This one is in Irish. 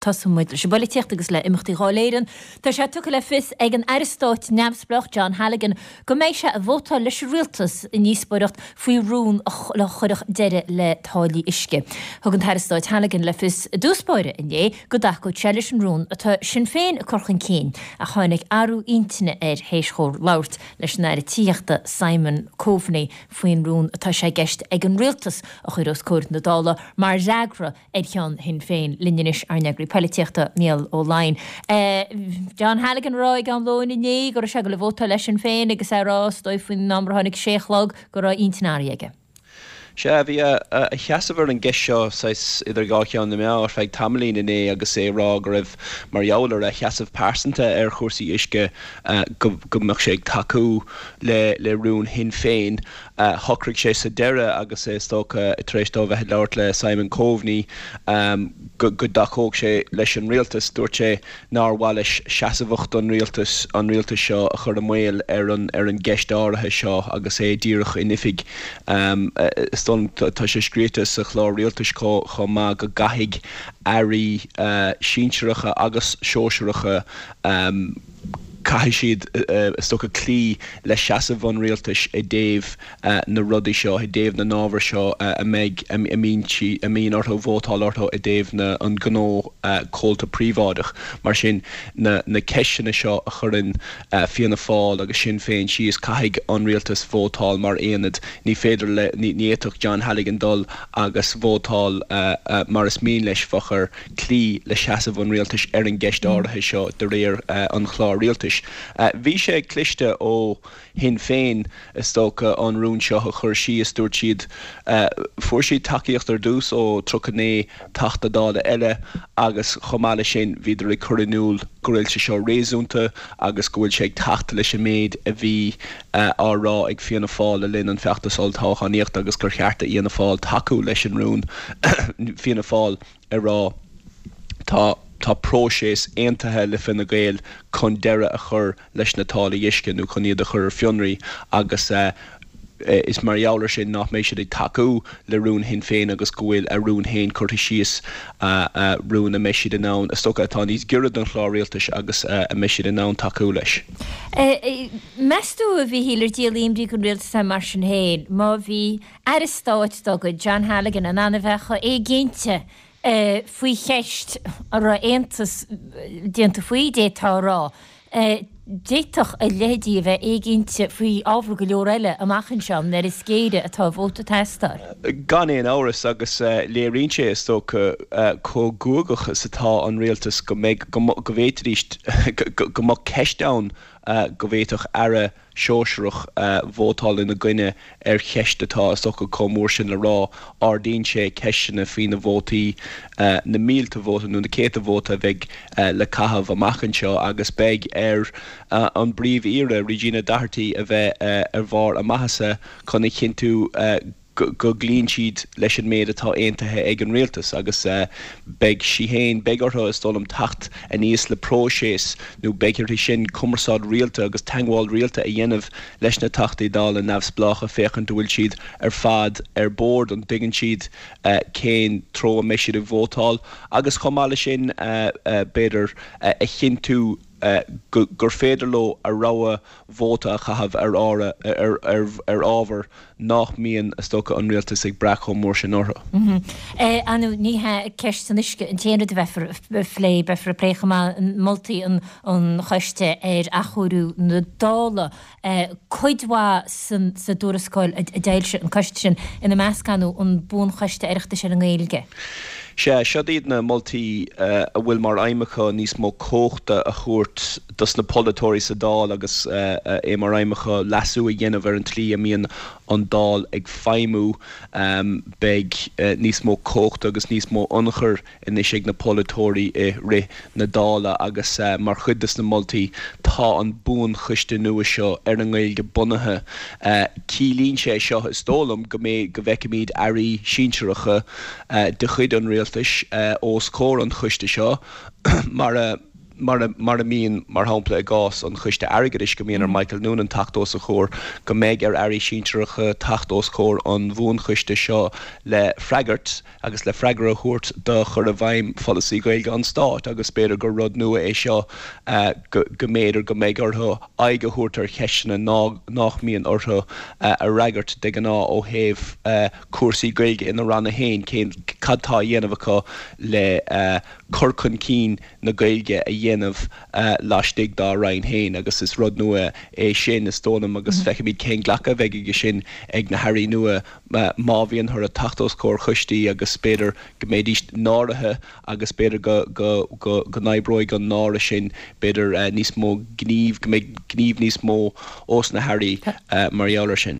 Tosóidh muid leis an bpolaitíocht agus le imeachtaí Dháil Éireann. Tá sé tugtha le fios ag an Aire Stáit neamhspleách John Halligan go mbeidh sé ag vótáil leis an Rialtas i ndíospóireacht faoi rún a chuirfeadh deireadh le táillí uisce. Thug an tAire Stáit Halligan le fios i dtús báire inné go dtacódh sé leis an rún atá Sinn Féin ag cur chun cinn ach tháinig athrú intinne air théis dhó labhairt leis an Aire Tithíochta Simon Coveney faoin rún atá sé i gceist ag an Rialtas a chur os comhair na Dála mar fhreagra ar cheann Shinn Féin. Linn anois ár n-eagraí poilitíochta, Mícheál Ó Laighin. John Halligan ag rá ag am lóin inné go raibh sé ag dul a vótáil le Sinn Féin agus é ag rá, is dóigh faoin am ar tháinig sé a chlog, go raibh intinn athraithe aige. Sea, bhí a sheasamh ar an gceist seo saghas idir dhá cheann na meá ar feadh tamaillín inné agus é ag rá go raibh, mar gheall ar a sheasamh pearsanta ar chúrsaí uisce, go mbeadh sé ag tacú le rún Shinn Féin. Shocraigh sé sa deireadh, agus é is dócha tar éis dó bheith ag labhairt le Simon Coveney, go dtacódh sé leis an rialtas. Dúirt sé nár mhaith leis seasmhacht an rialtais, an rialtais seo a chur i mbaol ar an ar an gceist áirithe seo agus é díreach in oifig. Is dóigh liom, tá sé scríofa sa chlár rialtais chomh maith go gcaithfidh airí sinsearacha agus sóisearacha, Caithfidh siad, is dócha, cloí le seasamh an rialtais i dtaobh na rudaí seo, i dtaobh na n-ábhar seo a mbeidh, a mbíonn, a mbíonn orthu vótáil orthu i dtaobh na, an gnó comhalta príobháideach. Mar sin, na, na ceisteanna seo a chuireann Fianna Fáil agus Sinn Féin síos, caithfidh an rialtas vótáil mar aonad. Ní féidir le, ní, ní fhéadfadh John Halligan dul agus vótáil mar is mian leis, bheadh air cloí le seasamh an rialtais ar an gceist áirithe seo de réir an chláir rialtais. Bhí sé cliste ó Shinn Féin, is dócha, an rún seo a chur síos. Dúirt siad, fuair siad tacaíocht ar dtús ó 39 Teachta Dála eile agus chomh maith leis sin bhíodar ag cur in iúl go bhfuil sé seo réasúnta agus go bhfuil sé ag teacht leis an méid a bhí á rá ag Fianna Fáil le linn an feachtas olltoghchánaíochta agus gur cheart do Fhianna Fáil tacú leis an rún. Fianna Fáil. ag rá, Tá, tá próiseas aontaithe le Fine Gael chun deireadh a chur leis na táillí uisce nó chun iad a chur ar fionraí agus is mar gheall air sin nach mbeidh siad ag tacú le rún Shinn Féin agus go bhfuil a rún féin curtha síos, rún a mbeidh siad in ann, is dócha, atá níos giorra don chlár rialtais agus a mbeidh siad in ann tacú leis. Meas tú, a Mhíchíl, ar díol imní don rialtas é mar sin féin má bhí Aire Stáit dá gcuid, John Halligan, in ann a bheith chomh éiginnte faoi cheist a raibh aontas déanta faoi, d'fhéadfá a rá. D'fhéadfadh a leithéidí a bheith éiginnte faoi ábhar go leor eile amach anseo, nuair is géire atá vóta ag teastáil. Gan aon amhras, agus léiríonn sé, is dócha, chomh guagach is atá an rialtas go mbeidh, go bhféadfaidís, go mbeadh ceist ann go bhféadfadh aire sóisearach vótáil ina gcoinne ar cheist atá, is dócha, chomh mór sin le rá. Ardaíonn sé ceisteanna faoi na vótaí, na mílte vóta nó na céadta vóta a bheidh le caitheamh amach anseo agus beidh ar an bPríomh-Aoire, Regina Doherty, a bheith ar bharr a maitheasa chun a chinntiú go gcloíonn siad leis an méid atá aontaithe ag an rialtas agus beidh sí féin, beidh orthu, is dóigh liom, teacht aníos le próiseas nó beidh uirthi sin cumarsáid rialta agus teagmháil rialta a dhéanamh leis na Teachtaí Dála neamhspleácha féachaint an bhfuil siad ar fad ar bord, an dtuigeann siad cén treo a mbeidh siad ag vótáil agus chomh maith leis sin b'fhéidir a chinntiú gur féidir leo a rogha vóta a chaitheamh ar ar ábhar nach mbíonn, is dócha, an rialtas ag brath chomh mór sin orthu. Ar ndóigh, ní hé ceist an uisce an t-aon rud a bheifear ag plé, beifear ag plé chomh maith moltaí an choiste ar athchóiriú na Dála. Cuid mhaith sa dtuarascáil a d'fhoilsigh an coiste sin, ina measc, ar ndóigh, an Buanchoiste Oireachtais ar an nGaeilge. Sea, siod iad na moltaí a bhfuil mar aidhm acu níos mó cumhachta a thabhairt dos na polaiteoirí sa Dáil agus é mar aidhm acu leasú a dhéanamh ar an tslí a mbíonn an Dáil ag feidhmiú. Beidh níos mó cumhachta agus níos mó ionchuir anois ag na polaiteoirí i rith na Dála agus mar chuid de na moltaí tá an buanchoiste nua seo ar an nGaeilge bunaithe. Ciallaíonn sé seo, is dóigh liom, go mbeidh, go bhfeicfimid airí sinsearacha de chuid an rialtais os comhair an choiste seo mar a. Mar a mbíonn, mar shampla, i gcás an Choiste Airgeadais, go mbíonn ar Michael Noonan teacht os a chomhair, go mbeidh ar airí sinsearacha teacht os comhair an bhuanchoiste seo le freagairt agus le freagra a thabhairt do chur i bhfeidhm pholasaí Gaeilge an Stáit agus b'fhéidir gur rud nua é seo go mb'fhéidir go mbeidh orthu aghaidh a thabhairt ar cheisteanna nách mbíonn orthu a fhreagairt de ghnáth ó thaobh cúrsaí Gaeilge ina ranna féin, cén, cad tá á dhéanamh acu le cur chun cinn na Gaeilge a dhéanamh laistigh dá Roinn féin agus is rud nua é sin, is dóigh liom, agus feicfimid cén glacadh a bheidh aige sin ag na hairí nua má bhíonn orthu teacht os comhair choistí agus b'fhéidir go mbeidís náirithe agus b'fhéidir go go go go n-oibreoidh an náire sin, b'fhéidir níos mó gnímh, go mbeidh gníomh níos mó ós na hairí mar gheall air sin.